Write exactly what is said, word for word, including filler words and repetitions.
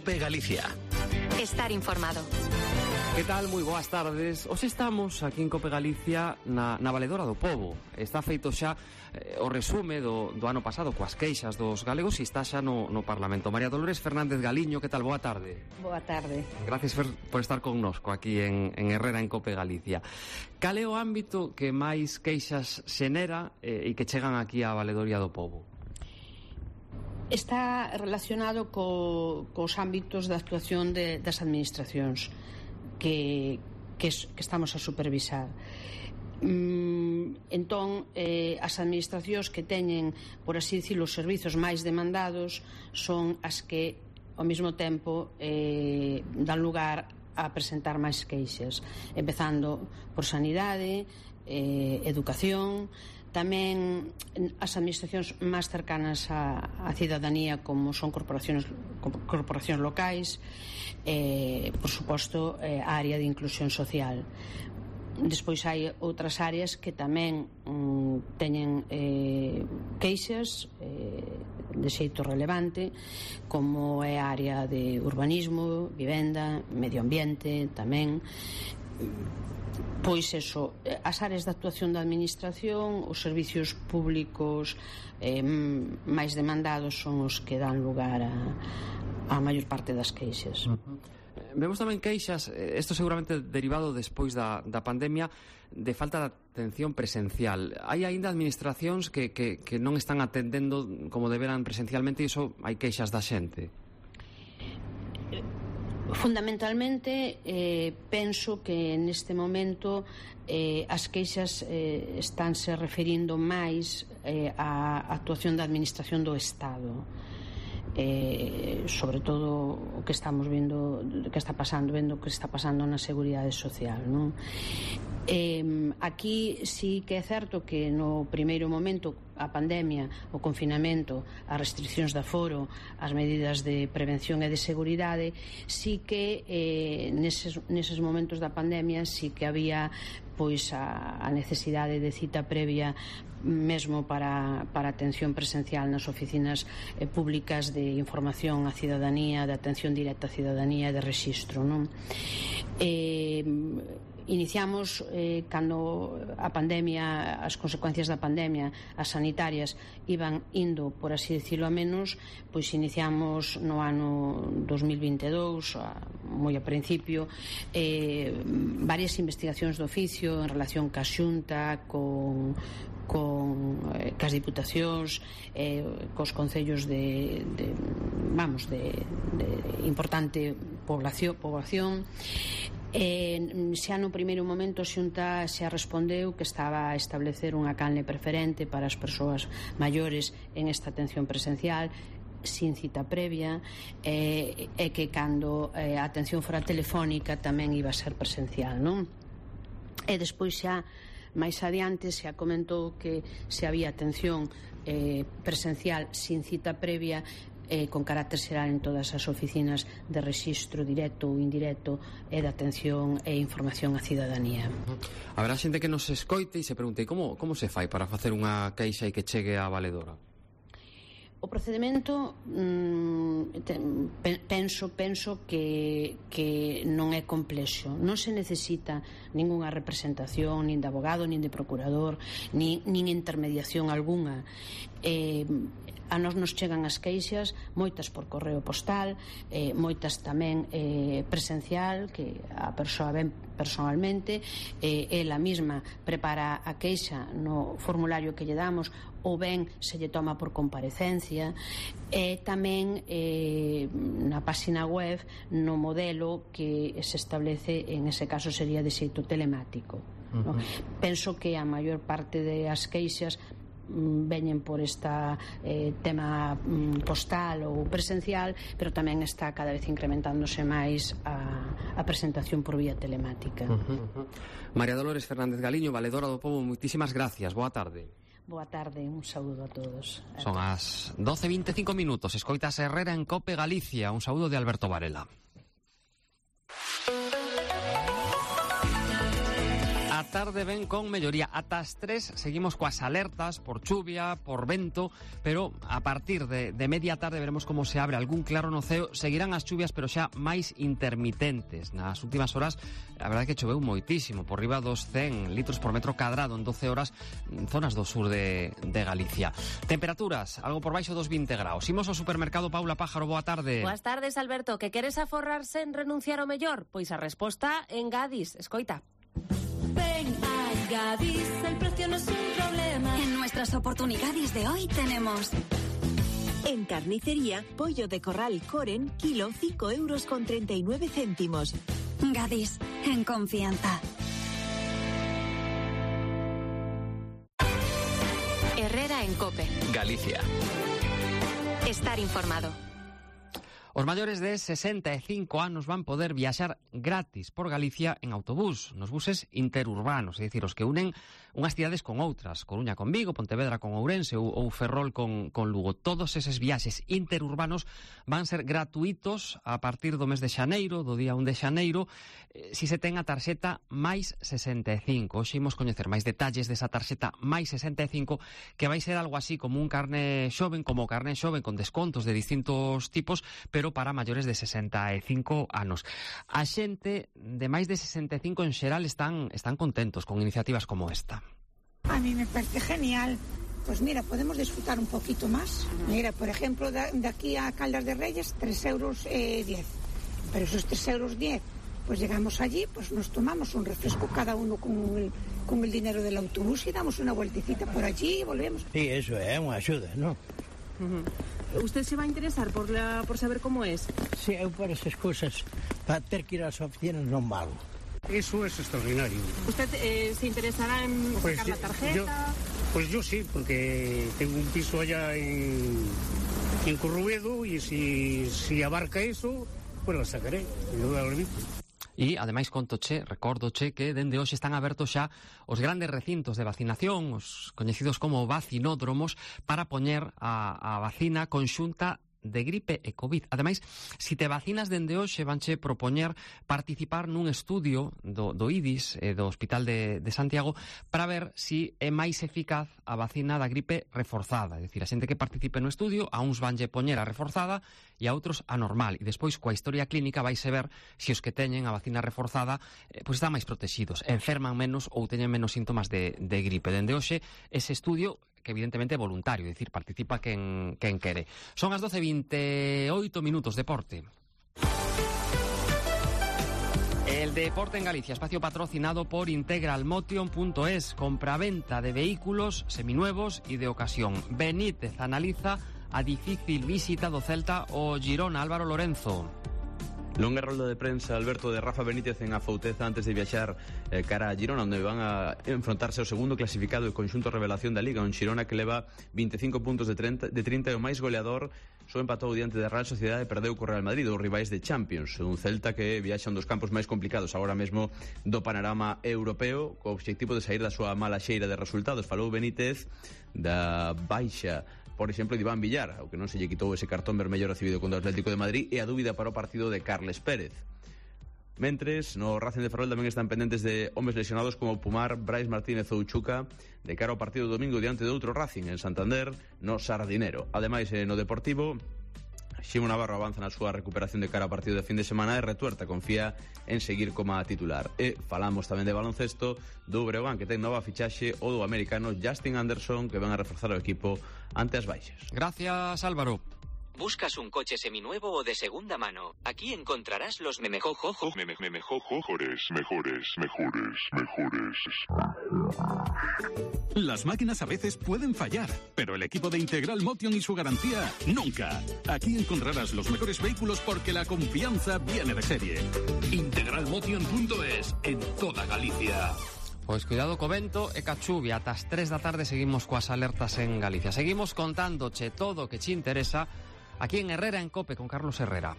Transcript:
COPE Galicia. Estar informado. Que tal? Moi boas tardes. Hoxe estamos aquí en COPE Galicia na, na Valedora do Pobo. Está feito xa eh, o resume do, do ano pasado coas queixas dos galegos e está xa no, no Parlamento. María Dolores Fernández Galiño, que tal? Boa tarde. Boa tarde. Gracias por, por estar connosco aquí en, en Herrera, en COPE Galicia. Cal é o ámbito que máis queixas xenera eh, e que chegan aquí á Valedoria do Pobo? Está relacionado co, cos ámbitos de actuación de, das administracións que, que, que estamos a supervisar. Mm, entón, eh, as administracións que teñen, por así dicirlo, os servizos máis demandados son as que, ao mesmo tempo, eh, dan lugar a presentar máis queixas, empezando por sanidade, eh, educación. Tamén as administracións máis cercanas á, á cidadanía, como son corporacións, corporacións locais, eh, por suposto, eh, a área de inclusión social. Despois hai outras áreas que tamén mm, teñen eh, queixas eh, de xeito relevante, como é a área de urbanismo, vivenda, medio ambiente, tamén. Pois eso, as áreas de actuación da administración, os servicios públicos eh, máis demandados son os que dan lugar a, a maior parte das queixas. Uh-huh. Vemos tamén queixas, isto seguramente derivado despois da, da pandemia, de falta de atención presencial. Hai aínda administracións que, que, que non están atendendo como deberan presencialmente e iso hai queixas da xente. Fundamentalmente, eh, penso que neste momento eh, as queixas eh, estánse referindo máis eh, á actuación da administración do Estado. Eh, sobre todo o que estamos vendo, que está pasando, vendo o que está pasando na seguridade social, non? Eh, aquí sí que é certo que no primeiro momento a pandemia, o confinamento, as restriccións de aforo, as medidas de prevención e de seguridade, sí que eh, neses, neses momentos da pandemia sí que había pois a, a necesidade de cita previa mesmo para, para atención presencial nas oficinas eh, públicas de información á cidadanía, de atención directa á cidadanía e de rexistro, non? Eh, Iniciamos eh, cando a pandemia, as consecuencias da pandemia, as sanitarias iban indo, por así decirlo, a menos, pois iniciamos no ano dos mil vinte e dous, a, moi a principio, eh, varias investigacións do oficio en relación ca Xunta, con con eh, cas diputacións, eh, cos concellos de, de vamos, de, de importante población, población. Eh, xa no primeiro momento a Xunta xa respondeu que estaba a establecer unha canle preferente para as persoas maiores en esta atención presencial sin cita previa, eh, e que cando eh, a atención fora telefónica tamén iba a ser presencial, non? E despois xa máis adiante se comentou que se había atención eh, presencial sin cita previa, eh, con carácter xeral en todas as oficinas de rexistro directo ou indirecto e de atención e información á cidadanía. Haberá xente que nos escoite e se pregunte como, como se fai para facer unha queixa e que chegue á valedora? O procedimento mm, ten, penso penso que, que non é complexo. Non se necesita ningunha representación nin de abogado, nin de procurador, nin, nin intermediación algunha. Eh, a nos nos chegan as queixas, moitas por correo postal, eh, moitas tamén eh, presencial, que a persoa ven personalmente, eh, ela mesma prepara a queixa no formulario que lle damos, ou ben se lle toma por comparecencia, e tamén eh, na página web no modelo que se establece, en ese caso sería de xeito telemático. Uh-huh. No? Penso que a maior parte das queixas veñen por esta eh, tema mm, postal ou presencial, pero tamén está cada vez incrementándose máis a, a presentación por vía telemática. Uh-huh, uh-huh. María Dolores Fernández Galiño, Valedora do Pobo, moitísimas gracias, boa tarde. Boa tarde, un saúdo a todos. Son as doce e vinte e cinco minutos, escoitas Herrera en COPE Galicia, un saúdo de Alberto Varela. A tarde ven con melloría. Ata as tres seguimos coas alertas por chuvia, por vento, pero a partir de, de media tarde veremos como se abre algún claro no ceo. Seguirán as chuvias, pero xa máis intermitentes. Nas últimas horas, a verdade é que choveu moitísimo, por riba dos cen litros por metro cadrado en doce horas en zonas do sur de, de Galicia. Temperaturas, algo por baixo dos vinte graus. Imos ao supermercado. Paula Pájaro, boa tarde. Boas tardes, Alberto. Que queres aforrarse en renunciar ao mellor? Pois a resposta en Gadis. Escoita. Ven a Gadis, el precio no es un problema. En nuestras oportunidades de hoy tenemos... En carnicería, pollo de corral Coren, kilo cinco euros con treinta y nueve céntimos. Gadis, en confianza. Herrera en COPE. Galicia. Estar informado. Os maiores de sesenta e cinco anos van poder viaxar gratis por Galicia en autobús, nos buses interurbanos, é dicir, os que unen unhas cidades con outras, Coruña con Vigo, Pontevedra con Ourense ou, ou Ferrol con, con Lugo. Todos eses viaxes interurbanos van ser gratuitos a partir do mes de xaneiro, do día un de xaneiro, eh, si se ten a tarxeta máis sesenta e cinco. Hoxe imos coñecer máis detalles desa tarxeta máis sesenta e cinco, que vai ser algo así como un carné xoven, como o carné xoven con descontos de distintos tipos, pero para maiores de sesenta e cinco anos. A xente de máis de sesenta e cinco en xeral están, están contentos con iniciativas como esta. A mí me parece genial. Pues mira, podemos disfrutar un poquito más. Mira, por ejemplo, de, de aquí a Caldas de Reyes, tres euros diez. Pero esos tres euros diez, pues llegamos allí, pues nos tomamos un refresco cada uno con el, con el dinero del autobús y damos una vueltecita por allí y volvemos. Sí, eso é unha axuda, ¿no? Uh-huh. ¿Usted se va a interesar por, la, por saber cómo es? Sí, eu por esas cosas, para ter que ir ás oficinas non vago. Eso es extraordinario. ¿Usted eh, se interesará en pues sacar la tarjeta? Yo, pues yo sí, porque tengo un piso allá en, en Corruedo y si, si abarca eso, pues la sacaré. E, ademais, contoche, recórdoche que dende hoxe están abertos xa os grandes recintos de vacinación, os coñecidos como vacinódromos, para poñer a, a vacina conxunta de gripe e COVID. Ademais, se te vacinas dende hoxe, vanche propoñer participar nun estudio do, do I D I S, eh, do Hospital de, de Santiago, para ver se é máis eficaz a vacina da gripe reforzada. É dicir, a xente que participe no estudio, a uns vanlle poñer a reforzada e a outros a normal. E despois, coa historia clínica, vaise ver se os que teñen a vacina reforzada eh, pois están máis protegidos, enferman menos ou teñen menos síntomas de, de gripe. Dende hoxe, ese estudio, que evidentemente é voluntario, é dicir, participa quen, quen quere. Son as doce e vinteoito minutos, deporte. El deporte en Galicia, espacio patrocinado por integralmotion punto es, compraventa de vehículos seminuevos y de ocasión. Benítez analiza a difícil visita do Celta o Girona. Álvaro Lorenzo. Longa rolda de prensa, Alberto, de Rafa Benítez en Afouteza antes de viaxar eh, cara a Girona, onde van a enfrontarse ao segundo clasificado e conxunto revelación da Liga, un Girona que leva veinticinco puntos de trinta, de trinta e o máis goleador, só empatou diante da Real Sociedade e perdeu co Real Madrid, os rivais de Champions, un Celta que viaxa un dos campos máis complicados agora mesmo do panorama europeo, co obxectivo de sair da súa mala xeira de resultados. Falou Benítez da baixa, por exemplo, de Iván Villar, ao que non se lle quitou ese cartón vermello recibido contra o Atlético de Madrid, e a dúbida para o partido de Carles Pérez. Mentres, no Racing de Ferrol tamén están pendentes de homes lesionados como Pumar, Brais Martínez ou Chuca, de cara ao partido do domingo diante de outro Racing en Santander, no Sardinero. Ademais, no Deportivo, Ximo Navarro avanza na súa recuperación de cara ao partido de fin de semana e Retuerta confía en seguir como titular. E falamos tamén de baloncesto do Breogán, que ten nova fichaxe, o do americano Justin Anderson, que van a reforzar o equipo ante as baixas. Gracias, Álvaro. ¿Buscas un coche seminuevo o de segunda mano? Aquí encontrarás los memejojojos. Meme, memejojojores, mejores, mejores, mejores. Las máquinas a veces pueden fallar, pero el equipo de Integral Motion y su garantía, nunca. Aquí encontrarás los mejores vehículos porque la confianza viene de serie. integralmotion punto es, en toda Galicia. Pois cuidado co vento e ca chuvia. Ata as tres da tarde seguimos coas alertas en Galicia. Seguimos contándoche todo o que che interesa aquí en Herrera en COPE con Carlos Herrera.